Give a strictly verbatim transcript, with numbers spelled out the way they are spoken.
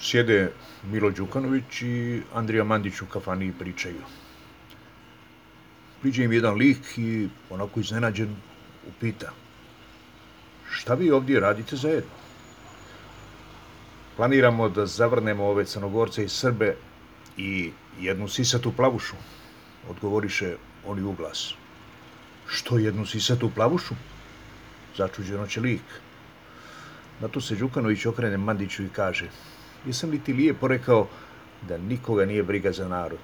Sjede Milo Đukanović i Andrija Mandić u kafani i pričaju. Priđe im jedan lik i onako iznenađen upita: šta vi ovdje radite zajedno? Planiramo da zavrnemo ove Crnogorce i Srbe i jednu sisatu plavušu, odgovoriše oni u glas. Što jednu sisatu plavušu? Začuđeno će lik. Na to se Đukanović okrene Mandiću i kaže: jesam li ti lijepo rekao da nikoga nije briga za narod?